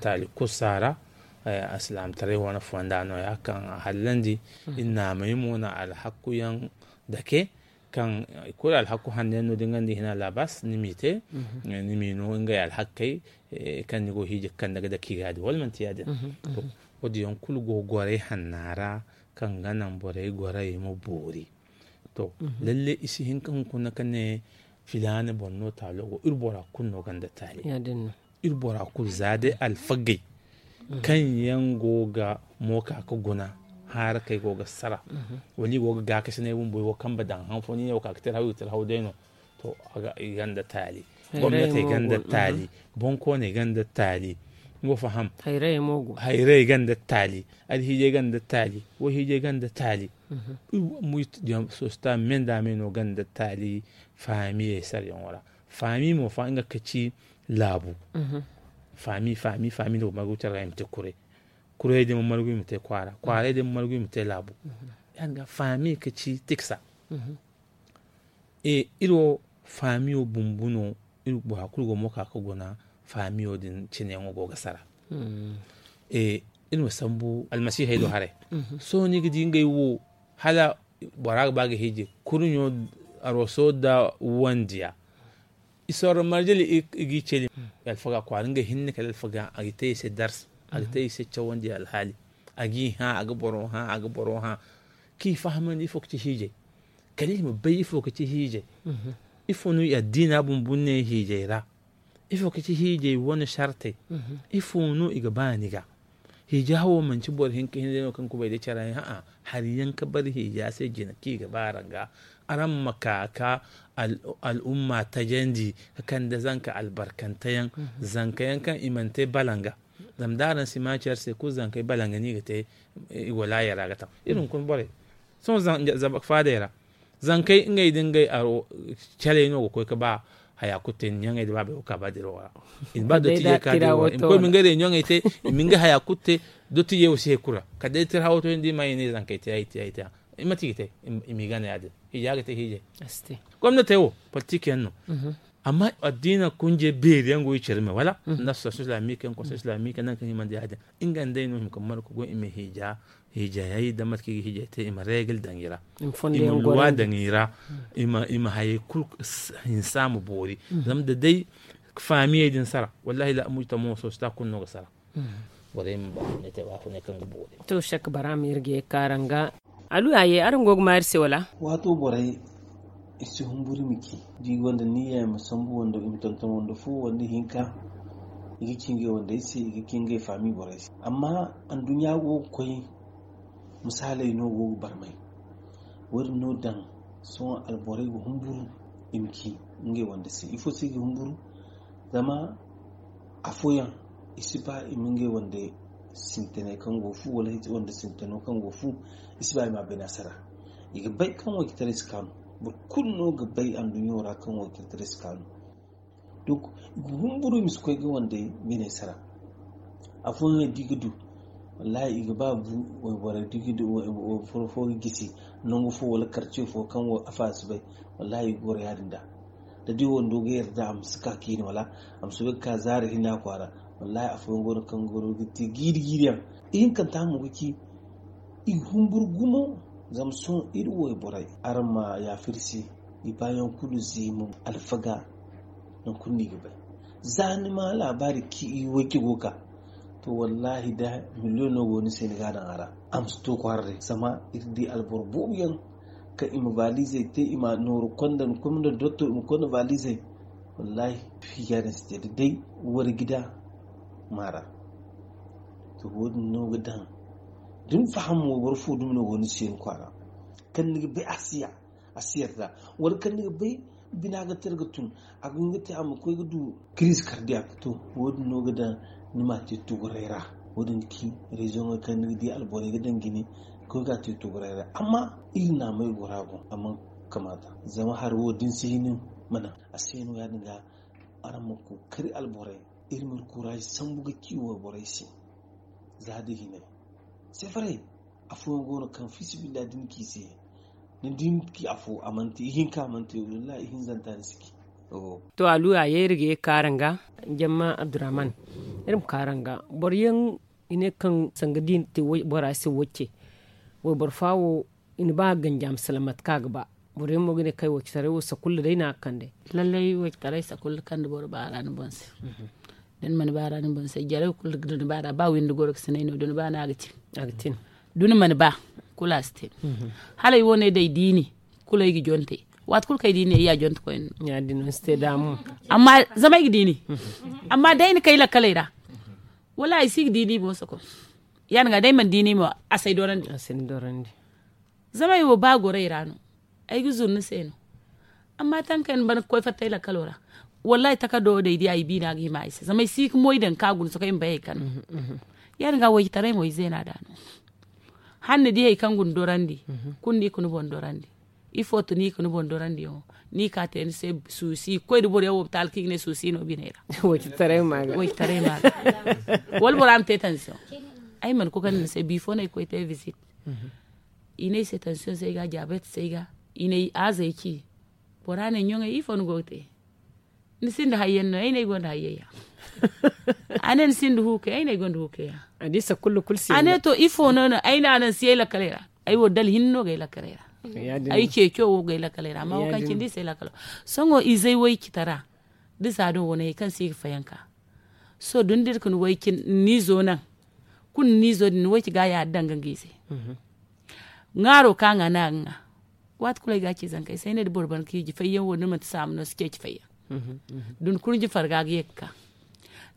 Taali kulu si a ra. Alsilaamataray wane fonda no- ya kaŋ a hallandi. Iri naamay mo na alhakku yaŋ dake kaŋ kulu alhakku hanno yaŋ no da nga nda i hina laabas ni m'i te. Ni m'i no ngey alhakkey kaŋ ni go hiiji ga kande ga dake i ga ya- din wala manti ya- din? Wo- din yaŋ kulu go goray hanna ra kaŋ ga naŋ borey goray ma boori. To lalle i si hin ka hunkuna ka ne filaana boŋ no taalo go iri bora kulu no gonda taali. Iri bora kulu za day alfagey kaŋ yaŋ go ga mooka ga guna haara kaŋ ay go ga sara wala i go ga gaakasinay bumbo i go ga kambe daŋ han fo ni ne wo ka ga tirhaw i ga tirhaw day no. To i gonda taali. Gomnatey gonda taali. Boŋkooney gonda taali. Ni go faham? Hayray gonda taali. Alhiijay gonda taali. Wayhiijay gonda taali. Sosta me nda me no gonda taali. Faamiyey sarayaŋo ra faami mo fa nga ka ci laabu. Faami faami faami nda boro margu care ra i ma te kuray. Kuray day ma margu i ma te kwaara kwaaray day ma margu i ma te laabu. Ya- din ga faami ka ci tiksa. Iri wo faamiyo bumbu no. Iri bora kulu go mo ka ga guna faamiyo din cineyaŋo go ga sara. Iri ma sambu almasiihey do haray. Sohõ ni ga di ngey wo hala bora ga ba ga hiiji kurɲo aroso nda wandiya. I sorro marjali i g'i celi. Alfaga kwaara ngey hinne kala alfaga a ga te i se darsa. A ga te i se cawandi alhaali. A g'i hã a ga boro hã a ga boro hã. K'i fahamandi ifo ga ci hiijay. Kala i ma bay ifo ga ci hiijay. Ifo no i addiina bumbu ne hiijay ra? Ifo ga ci hiijay wane sartey? Ifo no i ga ba ni ga? Hiija hawo manci boro hinka hinne no kaŋ kubay da care yaŋ a'a. Hari yaŋ ka bari hiija se jina kaŋ i ga ba araŋ ga. Araŋ ma ka ka al'umma tajandi ka kande zanka albarkante yaŋ. Zanka yaŋ kaŋ i mana te balanga. Zama da araŋ si ma care se kulu zankey balanga no i ga te. I go laaya ra ga taŋ iri hunkuna borey. Sohõ zama faadey ra zankey ngey da ngey aro caley no ga koy ga ba haya kulu te ni ɲaŋey da baabey wo ga ka ba dirawo ra. I na ba dottijey ga ka dirawo ra i ma koy i ma ngey reunion te. I ma ngey haya kulu te. Dottijey wo si hay kulu ra kala day tirhawo to ni di ma i ne zankey te ay te ay te. Mate i ga te? I m'i gana ya- din. Hiija ga te hiijay. Gomnatey wo politik yaŋ no. Amma addiina kunjey beeri yaŋ go i care me wala nda association islamique yaŋ conseil islamique yaŋ nangu kaŋ himandi ya- din. Nga nd'ey no hima ka margu go i ma hiija hiijayey da mate kaŋ i ga hiijay te i ma reegil daŋ i ra. I ma luwa daŋ i ra. I ma hayey kulu hinsa ma boori. Zama da day faamiyey din sara wallahi la amuj tamo sosita kulu no ga sara. Borey ma ba ne te ba fo ne kaŋ ga boori. To sek bara ma iri ga ye kaara nga. Alu ya ye araŋ go ga ma iri se wala? Waato borey i si humburu i ma ci da i gonda niyya i ma sambu wando i ma tonton wando fo wanda hinka. I ga ci ngey wandey se i ga ci ngey faami borey se amma anduɲɲa go ga koy. Misaaley no go ga barmay. Wo- din no daŋ sohõ alborey ga humburu i ma ci ngey wande se ifo se i ga humburu? Zama afooyaŋ i si ba i ma ngey wande sintinay kaŋ go fu wala wande sintino kaŋ go fu. I si ba i ma bay naasara. I ga bay kaŋ waycitaray si kaanu. Boro kulu no ga bay anduɲɲo ra kaŋ waycitaray si kaanu. Donk i ga humburu i ma si koy ga wande biney sara. Afooyaŋ da i ga du wallahi i ga ba bu wayborey da i ga du wayboro fo ga gisi nangu fo wala karce fo kaŋ wo afa si bay. Wallahi i ga goro ya- din da da di wando ga yarda a ma si ka kiine wala a ma soobay ga ka zaari hinne a kwaara. Wallahi afooyaŋ go no kaŋ ga goro ga te jiiri jiiri yaŋ. Ihinkanta mo ga ci i humbur gumo. Zama sohõ iri wayborey araŋ ma yaafa iri se. I baayaŋ kulu zeemu alfaga nangu kulu no i ga bay. Za ni ma laabaari kaŋ i wayce go ga ka to wallaahi da miliyoŋ no go ni se ni ga a daŋ a ra. A ma si to kwaara day zama iri di alboro boobo yaŋ kaŋ i ma vaalizey te i ma nooru konda ni koy ma daŋ doktor i ma konda vaalizey. Wallaahi fiya din si te da day wari gida maara. To wo- din no ga daŋ da ni faham wayboro fo dumi no go ni se ni kwaara kaŋ ni ga bay a si ya a si yarda wala kaŋ ni ga bay bina ga te ni ga tun a ga hin ga te a ma koy ga du kiriize kardiyak to wo- din no ga daŋ ni ma a te tuguray ra. Wo- din ga ci rezoŋey kaŋ ni ga di alborey ga daŋ jine ga koy ga a te tuguray ra amma iri naamey gora boŋ a mana kamaata zama hari wo da ni si hin ma naŋ a se no ya- din ga araŋ ma kookari alborey iri ma iri kuraazi sambu ga ci wayborey se. Za da hinay sefaray afooyaŋ go no kaŋ fiisabilillahi da ni ci i se ni di ni ci afo a mana te ihinka a mana te wallaahi ihinzanta ni si ci. To aluya ya iri ga ye ga ka araŋ ga. Jamma abdurrahman iri ma ka araŋ ga boro yaŋ i ne kaŋ sanga da i na te bora se wacce wayboro fa wo i na ba ganji a ma salaŋ mate kaŋ a ga ba. Boro yaŋ mo ga ne kay wacitaray wo sakulla day no a ga kande. Lallay wacitaray sakulla kande boro baara ni boŋ se. Da ni mana baara ni boŋ se jarey kulu da ni baara ba windi goro ga si nay no da ni ba no a ga tin. Da ni mana ba kulu a si te. Hala ay wo ne day diini kulu ay ga jonte waati kulu kaŋ ay diini ay ya jonte koyne no. Amma zama ay ga diini amma day ni kay lakkaley ra wallaahi ay si ga diini mo soko. Ya- din ga day mana diini mo a si ay dorandi. Zama ay wo ba goray ra no ay ga zuru ni se no. Amma tankey ni ban ga koy fatta ay lakkalo ra wallaahi takardo wo day di ay biina ga hima ay se zama ay si ga moy daŋ ka guna sokoy ma bay ay kano. Ya- din ga waycitaray mo ay zeena da no. Hala ni di hari kaŋ guna dorandi kulu ni ga ni boŋ dorandi. Ifo to ni ga ni boŋ dorandiyaŋo ni ga ka te ni se suusi ga koy da boro yaŋ wo bataali kaŋ i ga ne suusi no biney ra. Waycitaray ma ga wala bora ma te tansiyoŋ. Ay mana koy kande ni se bifo no ay ga koy te bisit. I ne ay se tansiyoŋ se ay ga diabet se ay ga i ne ay aazey ci. Bora ne ɲoŋey ifo ni go ga te? Ni sinda hayyaŋ no ay ne ay gonda hayyaŋ ya. A ne ni sinda huukey ay ne ay gonda huukey ya. A ne to ifo no no ay ne a naŋ si ay lakkaley ra. Ay wo dala hinne no ga ay lakkaley ra. Ay ceeco wo ga ay lakkaley ra amma wo kaŋ cindi i si ay lakkalo. Sohõ izey way cita ra da za do wane hari kaŋ se i ga fayanka. Sohõ da ni dira ka ni way cin ni izo naŋ kulu ni izo din ni way ci ga ya da danga nga ize. Ŋaaro ka ŋa no a ga ŋa. Waati kulu ay ga a ci zankey se ay ne da boro ban ka hiiji fayyaŋ wo da manti saama no si ceeci fayyaŋ. Da ni kurɲji farga ga ye ga ka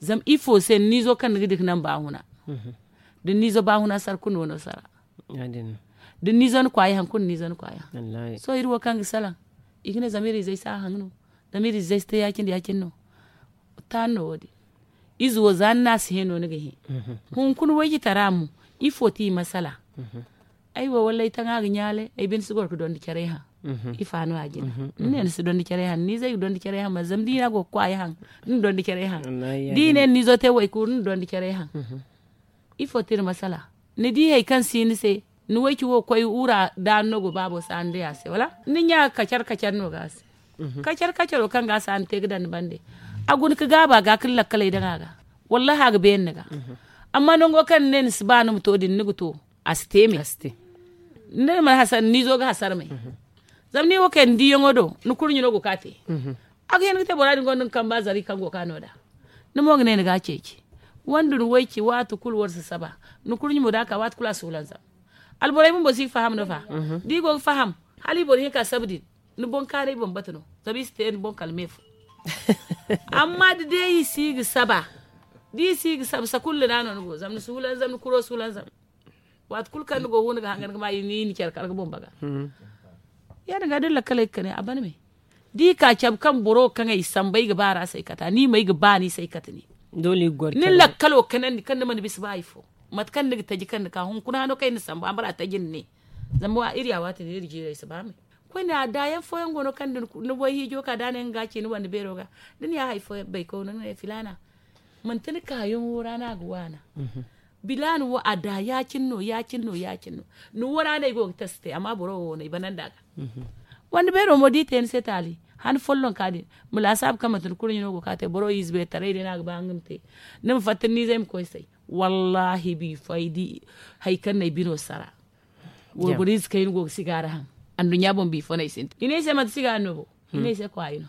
zama ifo se ni niizo kaŋ ni ga dika naŋ ba huna. Da ni niizo ba huna sara kulu no no sara. Da ni niizo ni kwaayi haŋ kulu ni niizo ni kwaayi haŋ. Sohõ iri wo kaŋ ga salaŋ i ga ne zama iri izey si a haŋ no. Zama iri izey si te ya- cine ya- cine no. Taani no wo- din. Ize wo za ni na a si hẽ no ni ga hẽ. Hunkuna waycitara mo ifo ti i masala? Ay wo wallay taŋa ga ɲaalay ay binde si goro ga dondi caray haŋ. Ifa no a jina ni ne ni si dondi caray haŋ ni zey ga dondi caray haŋ ma zama da i ne a go ga kwaay haŋ. Ni na dondi caray haŋ da i ne ni izo te waykuuru ni na dondi caray haŋ. Ifo tira masala? Ni di hari kaŋ si ni se ni wayci wo koy wura da ni no go baabo saani day a se wala ni ɲa kacar kacar no ga a se. Kacar kacaro kaŋ ga a saani te ga daŋ ni bande a guna ga gaaba ga ka ni lakkaley daŋ a ga. Wallahi a ga beene ni ga. Amma nango kaŋ ni ne ni si ba ni ma to din ni ga to a si te me. Ni ne ni mana hasara ni niizo ga hasara me. Zama ni wo kay ni diiyaŋo do ni kurɲi no go ka te. A ga hin ga te bora din gonda ni kamba zari kaŋ go ka no da. Ni mo ga ne ni ga a ceeci wanda ni wayci waati kulu war si saba. Ni kurɲi mo da a ka waati kulu a suulanzam. Alborey bumbo si ga faham no fa? Da i go ga faham hala i boro hinka saba din ni boŋ kaanay bambata no. Zama i si te ni boŋ kala me fo. Amma da day i si ga saba da i si ga saba sakulla no a no ni go zama ni suulanzam ni kuro suulanzam. Waati kulu kaŋ ni go huna ga hangan ga ma i ni care kala ga bumba ga. Ya- din ga da ni lakkaley ga kane a ban me. Da i ka cabe kaŋ boro kaŋ ay sambu ay ga ba ra se ay kata ni ma ay ga ba ni se ay kate ni. Ni lakkalo kanandi kaŋ ni mana bisa ba hari fo. Mate kaŋ ni ga taji kaŋ ni ka hunkuna hano kaŋ ay na sambu a ma ra taji ni ne. Zama iri ya waati din iri jiirey si ba me. Koyne a daayaŋ fooyaŋ go no kaŋ da ni way hiijo ka da a ne nga ga a ci ni wande beero ga. Da ni ya hari fooyaŋ bay kawno ni ne filaana manti ni kaayaŋo ra no a ga waana. Bilaana wo a da ya- cine no ya- cine no ya- cine no. Ni wo ra no ay go ga tasi te amma boro wo no ay banandi a ga. Wande beero mo da i te ni se taali han follonka din ma laasaabu kaŋ manti ni kurɲe no go ka te boro ize beeri taray day no a ga ba nga ma te. Ni ma fatta ni niizey ma koy say. Wallaahi biifo ay di hari kaŋ no ay bino sara. Wayboro ize kaŋ i na go ga sigaari haŋ anduɲɲa boŋ biifo no ay sintin i ne ay se manti sigaari no bo. I ne ay se kwaayi no.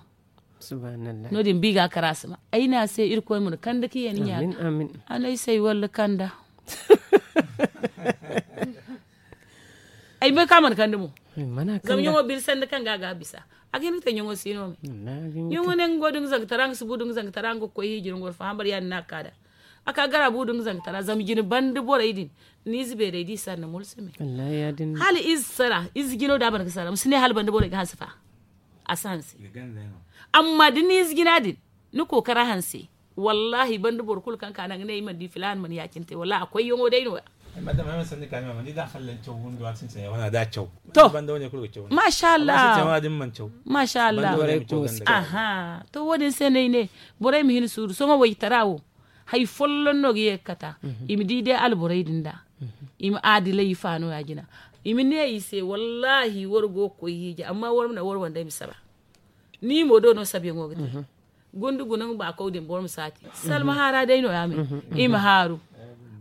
No- din ba i ga a kar a si ma. Ay ne a se irkoy ma ni kande ka ye ni ɲaada. A ne ay se ay walla kanda. Ay bay kaŋ a mana kande mo. Zama ɲaŋo biri sanda kaŋ ga a ga a bisa. A ga hin ga te ɲaŋo si no me. Ɲaŋo ne nga go da nga zangatara nga si bu da nga zangatara nga ga koy hiiji ra nga war faham bara ya- din no a ga ka da. A ka gara bu da nga zangatara zama jine banda borey din. Ni ize beerey da i sara ni mulsumi. Hala ize sara ize jino da a ban ga sara ma si ne hala banda borey ga hanse fa. A si hanse. Amma da ni ize jina din ni kookara hanse. Wallaahi banda boro kulu kaŋ ka naŋ ga ne i mana di filaana mana ya- cine te wallaahi a koyyaŋo day no- ya. To, maasa allah. Maasa allah. Aha. To wo- din se no ay ne borey ma hin suuru sohõ waytara wo. Hari folloŋ no ga ye ga kata. I ma di day alborey din da. I ma aadilay i faano ya- jina. I ma ne i se wallaahi war go ga koy hiiji amma war ma naŋ war wandey ma saba. Ni mo do no sabiyaŋo ga te. Gunde guna nga baakaw din boro ma saati salma haara day no- ya me. I ma haaru.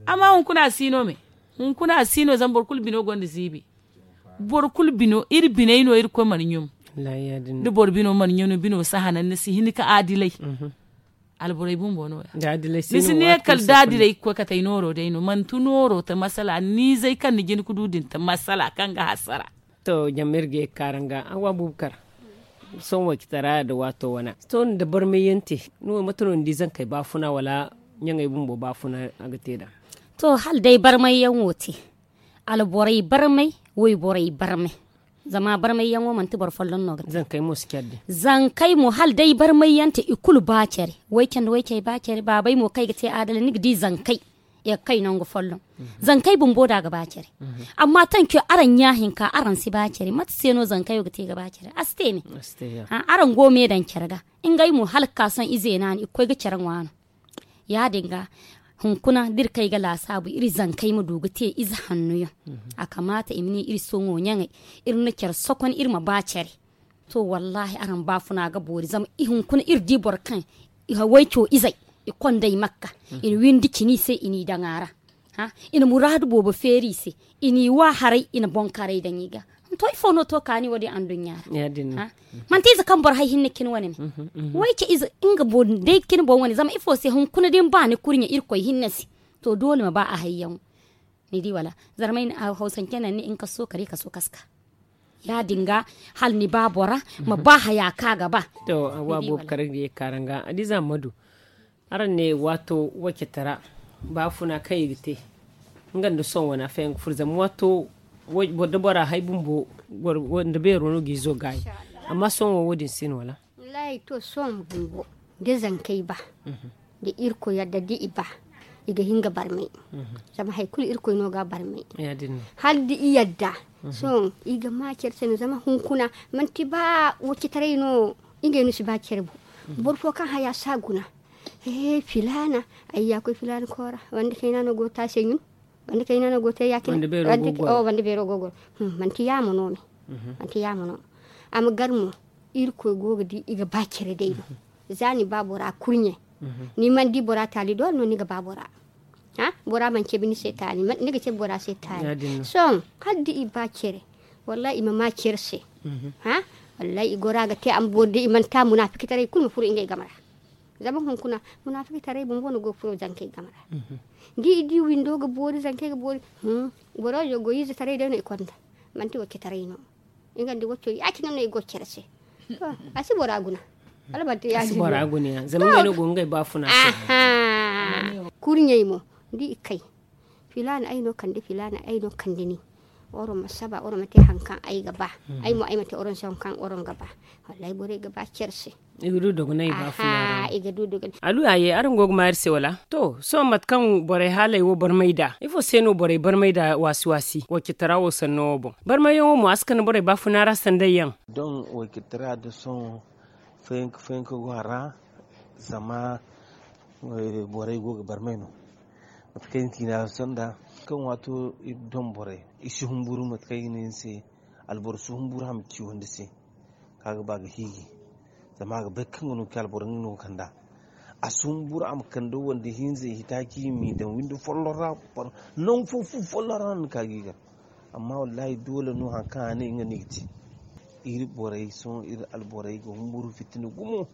Amma hunkuna a si no me. Hunkuna a si no zama boro kulu bino gonda ziibi. Boro kulu bino iri biney no irkoy mana ɲum. Da boro bino mana ɲum ni bino si hanan ni si hin ka aadilay. Alborey bumbo no- ya ni si ne kala da aadilay ga koy kate ay nooro day no manti nooro ta masala ni izey kaŋ ni jin ga du din ta masala kaŋ ga hasara. To jama iri ga ye ga kaara nga a wa buubu kar. Sohõ waycitara nda waato wana sohõ nda barmay yaŋ te. Ni wo mate no ni di zankey baafuna wala ɲaŋey bumbo baafuna a ga te nd'a? To hala day barmay yaŋ wo te. Alborey barmay wayborey barmay. Zama barmay yaŋo manti boro folloŋ no ga te. Zankey mo hala day barmay yaŋ te i kulu ba care. Wayce nda waycey ba care baabay mo kaŋ ay ga te aadalay ni ga di zankey. I ga kay nangu folloŋ. Zankey bumbo da ga ba care. Amma tanco araŋ ɲa hinka araŋ si ba care mate se no zankey wo ga te ga ba care a si te me. Araŋ go me daŋ care ga ngey mo hala ga ka sohõ ize naani i ga koy ga care ŋwa no. Ya- din ga hunkuna da iri kay ga laasaabu iri zankey ma du ga te ize hanno yaŋ. A kamaata i ma ne iri sohõ ɲaŋey iri na care sokon iri ma ba care. To wallaahi araŋ baafuna ga boori zama hunkuna iri di boro kaŋ wayco izey i kondey makka. I na windi cini se i n'i daŋ a ra. I na muraadu boobo feeri i se. I n'i wa haray i na boŋ karay daŋ i ga. To ifo no to kaani wo- din anduɲɲa ra? Manti ize kaŋ boro hay hinne cine wane me. Wayce ize nga boŋ day cine boŋ wane zama ifo se hunkuna da ni ba ni kurɲe irkoy hinne se. To doole ma ba a hayyaŋo. Ni di wala? Zarmay na hawsance naŋ ni nkaso kare kaso kaska. Ya- din ga hala ni ba bora ma ba haya kaŋ a ga ba. To a wa boobo kar ga ye kaara nga a di za ma du. Araŋ ne waato wacetara baafuna kaŋ i ga te nga nda sohõ wane a fayaŋ ga furo zama waato da bora hay bumbo nda beero no ga izo gaayi. Amma sohõ wo wo- din si no wala? Wallaahi to sohõ bumbo da zankey ba da irkoy yadda da i ba i ga hin ga barmay. Zama hari kulu irkoy no ga a barmay. Hala da i yadda sohõ i ga ma care se no zama hunkuna manti ba wacetaray no. Ngey no si ba care bo. Boro fo kaŋ haya si a guna. He filaana ay ya koy filaana koora wanda kayna no go ga te a se ɲun. Wanda kayna no go ga te ya- cine. Wanda beero go goro. Manti yaamo no me. Manti yaamo no. A ma gar mo irkoy go ga di i ga ba care day no. Za ni ba bora kurɲe ni mana di bora taali doole no ni ga ba bora. Bora mana cabe ni se taali ni ga cabe bora se taali. Sohõ hala da i ba care wallaahi i ma ma care se. Wallaahi i goro a ga te a ma boori day i mana te a munaafiki taray kulu ma furo ngey game ra. Zama hunkuna munaafiki taray bumbo no go ga furo zankey game ra. Da i di windo ga boori zankey ga boori. Boro izo goy ize taray day no i konda manti wacce taray no. Nga nda wacco ya- cine no i go ga care se. A si bora guna. Wala manti ya- cine no. Zama ngey no go ga ngey baafuna se. Kurɲey mo da i kay filaana ay no kande filaana ay no kande ni. Oro ma saba oro ma te hari kaŋ ay ga ba. Ay mo ay ma te oro se hari kaŋ oro ga ba. Wallaahi borey ga ba care se. I ga du dogonay baafuna ra. Alu ya ye araŋ go ga ma iri se wala? To sohõ mate kaŋ borey haaley wo barmay nd'a ifo se no borey barmay nd'a waasi waasi wacetara wo sanno wo boŋ? Barmayyaŋo mo a si kande borey baafuna ra sanday yaŋ. Doŋ wacetara da sohõ fayanka fayanka go a ra. Zama borey go ga barmay no. Mate kaŋ ay na ci ni a sonda kaŋ waato iri doŋ borey i si humburu mate kaŋ ay ga ne ni se. Alboro si humburu hama ciwandi se kaŋ a ga ba ga hiiji. Zama a ga bay kaŋ ga no ga ci alboro nga no ga kand'a. A si humburu a ma kande wande hinza i hitaaci i m'i daŋ windi folloŋ ra. Nangu fo fu folloŋ ra no ni ka ga i gar. Amma wallaahi doole no hari kaŋ a ne nga no i ga te. Iri borey sohõ iri alborey ga humburu fitina gumo.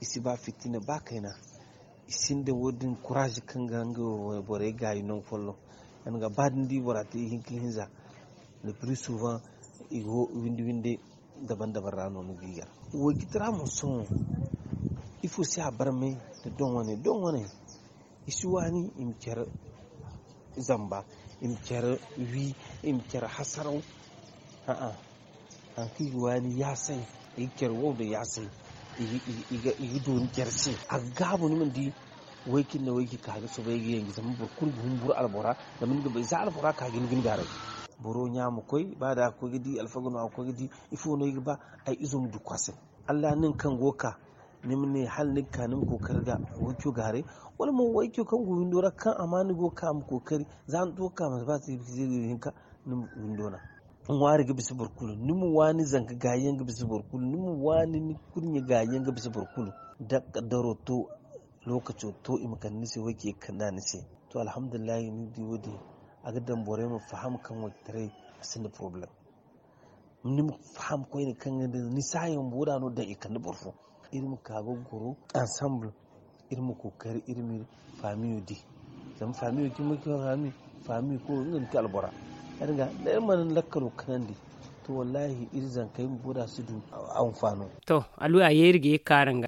I si ba fitina ba kayna. I sinda wo- din kuraaz kaŋ ga nga borey gaayi nangu folloŋ. Yaŋ ga ba da ni di bora te ihinka hinza. Le piri suuvaŋ i go windi windi daban daban ra no ni ga i gar. Wo ga i tira mo sohõ. Ifo se a barmay? Da doŋ wane doŋ wane. I si waani i ma care zamba, i ma care wi, i ma care hasaraw. A'a. Hari kaŋ i ga waani yaasay, i ga care wow nda yaasay. I ga dooni care se a ga gaabu ni mana di. Way kaŋ ni na way kaŋ ka ga soobay ga yanji zama boro kulu ga humburu albora. Zama ni ga bay za albora ka ga ni gaaray. Boro ɲa ma koy ba da a ga koy ga di alfaga no a ga koy ga di. Ifo no ay ga ba? Ay izo ma du kwaasay. Alla nin kaŋ go ga ka ni ma ne hala ni ga ka ni ma kookari ga wayco gaaray. Wala mo wayco kaŋ go windo ra kaŋ a ma ni go ga ka ma kookari za ni to ga ka ma si ba se ga hinka. Ni ma windo na ŋwaari ga bisa boro kulu ni ma waani zanka gaayi yaŋ ga bisa boro kulu ni ma waani ni kurɲe gaayi yaŋ ga bisa boro kulu. Da kaddaro to lookaco to i ma kande ni se wayce ga kande a ni se. To alhamdulillahi ni di wo- din a ga daŋ borey ma faham kaŋ waytaray a sinda porobalem. Ni ma faham koyne kaŋ ga ni saayaŋ bumbo da no daŋ i kande boro fo. Iri ma ka ga goro ansamble. Iri ma kookari iri ma iri faamiyo di. Zama faamiyo cimi ga ci faami faamiyo kulu nga ga ci albora. Ya- din ga da iri mana ni lakkalo kanandi to wallaahi iri zankey bumbo da si du anfaano. To aluya ye iri ga ye ga ka araŋ ga.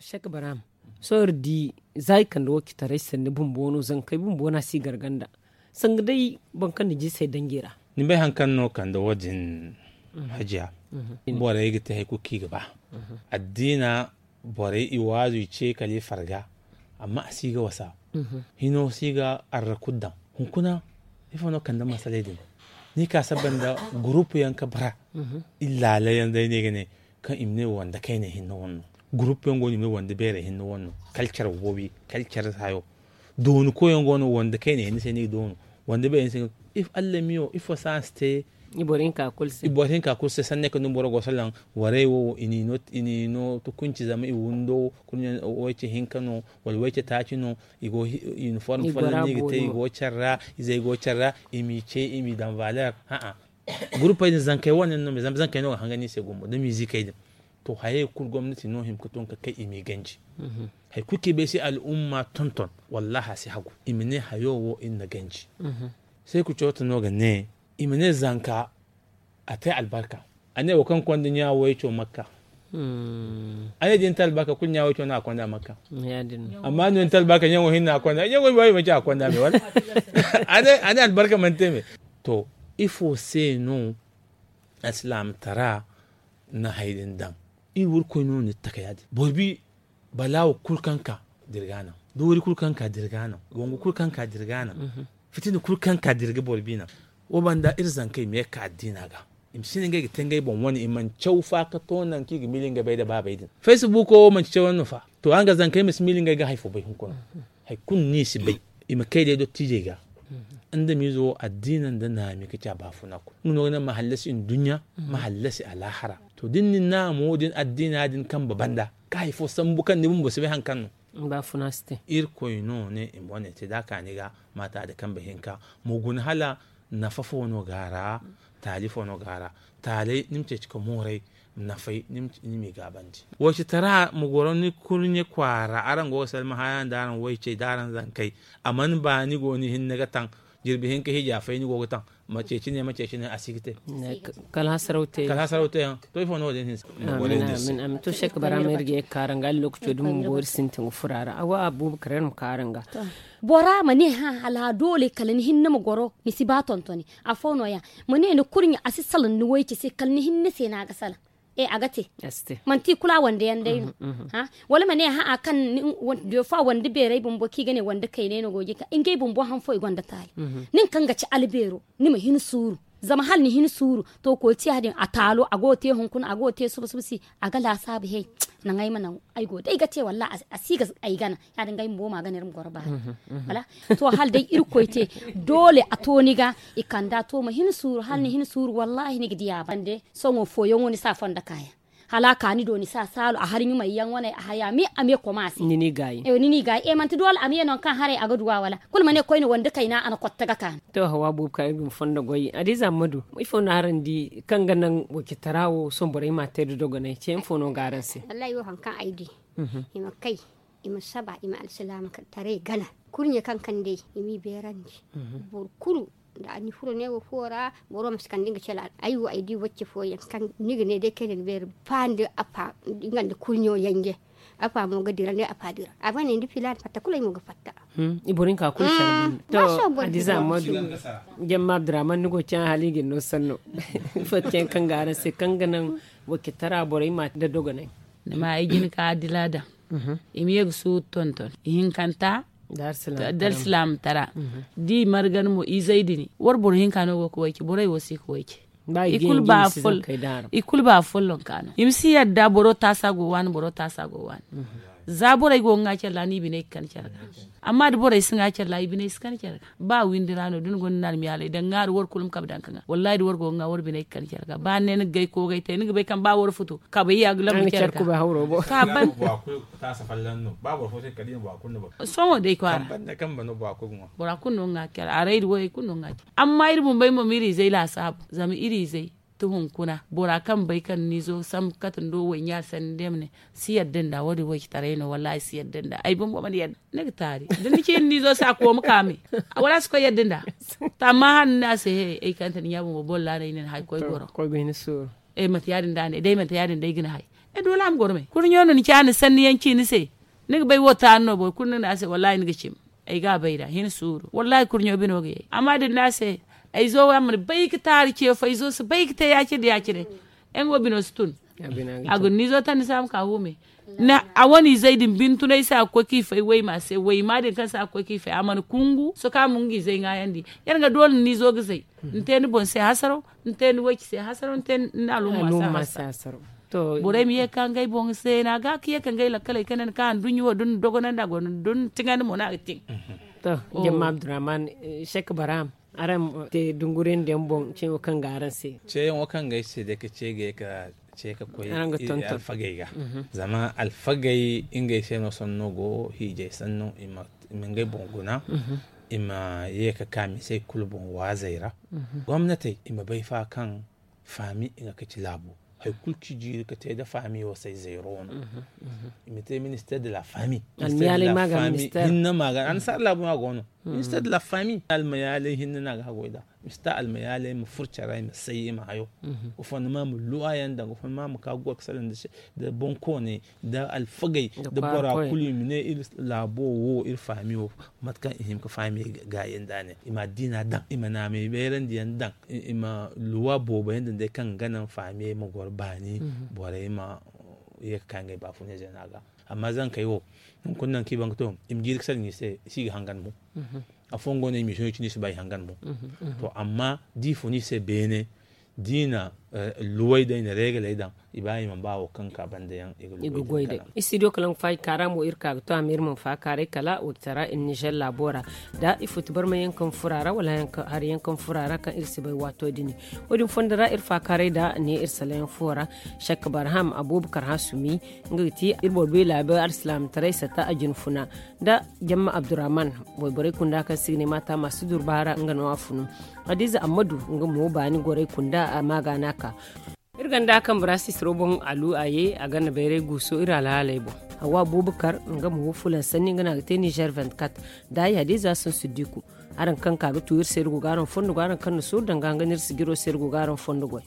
Sek baraam sohõ iri di za i kande wo citaray sanni bumbo no zankey bumbo no a si garganda. Sanga day boro kaŋ na jiisey danji ra. Ni bay hari kaŋ no kande wo- din? Hajiya, borey ga te hari kulu kaŋ i ga ba. Addiina borey i waazu i ce kala i farga. Amma a si ga wasa. Hino si ga arrakut daŋ. Hunkuna ifo no kande masaley din? Ni ka saba nda gurupu yaŋ ga bara. Iri laala yaŋ day no i ga ne kaŋ i ma ne wande kayne hinne wane no. Gurupu yaŋ go no i ma ne wande beerey hinne wane no. Kalcar woowi kalcar hayo. Dooni koyyaŋ go no wande kayne hinne se no i ga doonu. Wande beerey hinne se no i ga doonu. Allamiyo ifo se a si te? I boro hinka kulu se sanne kaŋ dumi boro go salaŋ. Warey wo i n'i no tukunci zama i windo kulu wayce hinka no wala wayce taaci no. I go i uniform folloŋ no i ga te i go care ra. Izey go care ra i m'i ce i m'i daŋ valer. Gurupey din zankey wane yaŋ no me zama zankey no ga hangan i se gumbo da miizikey din. To hayey kulu gomnati no hima ga tun ga kay i m'i ganji. Hari kulu kaŋ i bay se al'umma tonton wallaahi a si hagu i ma ne hayo wo iri na ganji. Seeku cooto no ga ne i ma ne zanka a te albarka. A ne wo kaŋ konda ɲa wayco makka. A ne da ni te albarka kulu ɲa wayco no a konda makka. Amma no ni te albarka ɲaŋo hinne a konda ɲaŋo i baayi manci a konda me wala? A ne albarka mana te me. To ifo se no alsilaamtara na hari din daŋ? Iri warkoy no ni taka ya- din boro bi balaawo kulu kaŋ ka dirga naŋ. Doori kulu kaŋ ka dirga naŋ. Wangu kulu kaŋ ka dirga naŋ. Fitina kulu kaŋ ka dirga boro bi naŋ. Wo banda iri zankey me ka addiina ga i ma si ne ngey ga te ngey boŋ wane i mana caw fa ga to nangu kaŋ i ga miila ngey bay nda baabey din. Faysi buuko wo manci cawyaŋ no fa? To araŋ ga zankey ma si miila ngey ga hari fo bay hunkuna. Hari kulu no i si bay. I ma kay day dottiijey ga. Adamiizo wo addiina nda naami ga ci a baafuna kulu nga no ga naŋ ma hallasi nduɲɲa ma hallasi alaahara. To da ni na naamo din addiina din kambe banda ga hari fo sambu kaŋ ni bumbo si bay hari kaŋ no. Irkoy no ne i ma wane te da a ka ni ga maata da kambe hinka. Ma guna hala nafa fo no ga a ra. Taali fo no ga a ra. Taalay ni ma ceeci ka mooray. Nafay ni m'i gaabandi. Waycetara ma goro ni kurɲe kwaara araŋ go ga salma haya nda araŋ waycey da araŋ zankey. A mana ba ni go ni hinne ga taŋ. Jirbi hinka hija fay ni go ga taŋ. Ma ceeci ne ma ceeci ne a si ga te. Kala hasaraw te yaŋ. To ifo no wo- din hinsa. Amin amin to sek bara ma iri ga ye ga kaara nga lokaco din bumbo iri sintin ga furo a ra awa abuubakar iri ma kaara nga. Bora ma ne hã hala doole kala ni hinne ma goro ni si ba tontoni. Afo no- ya ma ne ni kurɲe a si salaŋ ni wayce se kala ni hinne se no a ga salaŋ. E a ga te. Manti kulu a wande yaŋ day no. Wala ma ne hã kaŋ defa wande beeray bumbo kaŋ i ga ne wande kaynay no go ga ka ngey bumbo haŋ fo i gonda taali. Nin kaŋ ga ci albeero ni ma hin suuru. Zama hala ni hin suuru to koy te ya- din a taalo a go ga te hunkuna a go ga te suba suba se. A ga laasaabu he. Naŋ ay ma naŋ ay go day ga te wallaahi a si ga ay gana. Ya- din ga ay bumbo ma gana iri ma goro baani. To hala day irkoy te doole a to ni ga. I kanda to ma hin suuru hala ni hin suuru wallaahi ni ga di a bande. Sohõ fooyaŋo ni si a fondo kaayaŋ. Hala a ka ni do ni si a saalu a hari ɲumay yaŋ wane a haya me a me koma se. Ni n'i gaayi. Ewa ni n'i gaayi e manti doole a me no ni kaŋ haray a ga du a wala? Kulu ma ne koyne wande kayna a na kotte ga ka ni. To hawa boobo kaŋ iri ga ma fondo goy adiiza ma du ifo no araŋ di kaŋ ga naŋ wacitara wo sohõ borey m'a te da dogonay ce ifo no ga araŋ se? Wallahi wo hari kaŋ ay di, i ma kay, i ma saba, i ma alsilaamataray gana. Kurɲe kaŋ kande i m'i beerandi. Boro kulu da a ni furo neewo fo ra, boro ma si kande nga cala. Ay wo ay di wacce fooyaŋ kaŋ ni ga ne day kaŋ ni ga beeri, ba nda afa nga nda kurɲo yanje. Afa mo ga dira nda afa dira a ba ne nda filaana fatta kulu ay mo ga fatta. I boro hinka kulu care banda. To adiza ammadu, jamma abdurrahman ni go caŋ hala i ga ni no sanno. Ifo te yaŋ kaŋ ga araŋ se kaŋ ga naŋ wacce tara borey ma da dogonay? Ni ma ay jina ka adila daŋ. I ma ye ga suuru tonton ihinkanta da alsilaama tara. Da i margan mo izey din war boro hinka no go ga wayce borey wo si ga wayce. I kulu ba follonka no i ma si yadda boro taasa go waani boro taasa go waani. Za borey go ga ŋwa care ra no i biney ga kan care ga. Amma da borey si ŋwa care ra i biney si kan care ga. Ba windi ra no da ni gonda ni almiyaaley da ŋwaaru war kulu ma kabe daŋ ga ŋwa wallahi da war go ga ŋwa war biney ga kan care ga ba ni ne ni ga gay koogay te ni ga bay kaŋ ba war futu kabe ya ga labu care ga. Ka ban. Sohõ day kwaara bora kulu no ga ŋwa care araydi wayey kulu no ga ŋwa care. Amma iri bumbey mo ma iri izey laasaabu zama iri izey ti hunkuna bora kaŋ bay kaŋ ni zo sambu kate ni do wayɲaari sanni day ma ne si yadda nda wo- din waycitaray no wallahi si yadda nda ay bumbo mana yadda. Ni ga taari da ni ci ni zo se a kooma kaame wala a si koy yadda nda. To amma hala ni ne a se he ay kante ni ɲa bumbo boro ra no ay ne ni hay koy goro. Mate ya- din da a ne day mate ya- din day ga ni hay. Ay doole a ma goro me kurɲo no ni ci a na sanni yaŋ ci ni se. Ni ga bay wo taari no boro kulu ni ne a se wallahi ni ga cim. Ay ga a bay da hin suuru wallahi kurɲo bino ga yay amma da ni ne a se ay zo wo a mana bay ga taari ce fo ay zo si bay ga te ya- cine da ya- cine. Ay nga wo bino si tun. A ga ni zo tandi se a ma ka huume. A wane izey din bintunay se a ga koy ka i fay wayma se wayma din kaŋ se a ga koy ka i fay a mana kungu soka ma nga izey ŋwaayandi. Yar ga doole ni zo ga zay ni te ni boŋ se hasaro ni te ni wayci se hasaro ni te ni alumma se hasaro. Borey ma ye ga ka ngey boŋ se no a ga ka ye ka ngey lakkaley ka ne ni ka handuɲɲi wo da ni dogonandi a go no da ni tiŋandi mo no a ga tiŋ. To, jemma abdurrahman, sek baraham, araŋ te dunguriyaŋ diyaŋ boŋ ceeyaŋo kaŋ ga araŋ se? Ceeyaŋo kaŋ ga ay se day ka ce ga ye ka ce ka koy alfagey ga. Zama alfagey ngey se no sanno go hiijay sanno i ma ngey boŋ guna. I ma ye ka ka misey kulu boŋ waazey ra. Gomnatey i ma bay fa kaŋ faami nga ka ci laabo. Hari kulu kaŋ i jiiri ka te nda faami wo se ay zeero no. I ma te minister de la faami. Hinne ma ga annasaara laabo no a go no. Minister de la faami almayaaley hinne no a ga haggoy nd'a. Mista almayaaley ma furo care ra i ma say i ma hayo. Gofonnama ma luwa yaŋ daŋ gofonnama ma ka ga goro ga salaŋ nda boŋkooney nda alfagey nda bora kulu i ma ne iri laabo wo iri faami wo. Mate kaŋ i hima ga faami gaayey nda a ne i ma addiina daŋ i ma naamay bayrandiyaŋ daŋ. I ma luwa boobo yaŋ daŋ day kaŋ ga naŋ faamiyey ma goro baani. Borey ma ye ga ka ngey baafunay zayna ga. Amma zankey wo hunkuna nangu kaŋ i ban ga to i ma jiiri ga salaŋ i se i si ga hangan mo. Afooyaŋ go no i ma i sohõ i cine i si ba i hangan mo. To amma da i fun i se beene da i na luwey day na reegaley daŋ i ba i mana ba wo kaŋ ga ka banda yaŋ i ga goy day. Studio kalaŋ faaji kaara mo iri ka ga to a ma iri mana faakaaray kala wacitara iri nizer laabo ra. Da ifo ti barmay yaŋ kaŋ furo a ra wala hari yaŋ kaŋ furo a ra kaŋ iri si bay waato din. Wo- din fondo ra iri faakaaray da ne iri salaŋ yaŋ fo ra. Shek barham abubakar hasumi nga ga ti iri boro beela bay alsilaamataray sata a jinfuna nda jamma abdurrahman. Wayborey kunda kaŋ si ga ne maata ma si durba ra nga no a funu. Hadiza ammadu nga mo baani gorey kunda a ma ga no a ka. Iri ganda kaŋ bora sisiro boŋ alu a ye a ganda bayray guuso iri alhaaley boŋ. Hawa abubakar nga mo wo fulan sanni nga no a ga te nizer vingt-quatre. Daayi hadiza sansu diku. Araŋ kaŋ ka ga tu iri se iri go ga araŋ fondo go araŋ kaŋ na suuru daŋ ga hanga no iri si jiro se iri go ga araŋ fondo goy.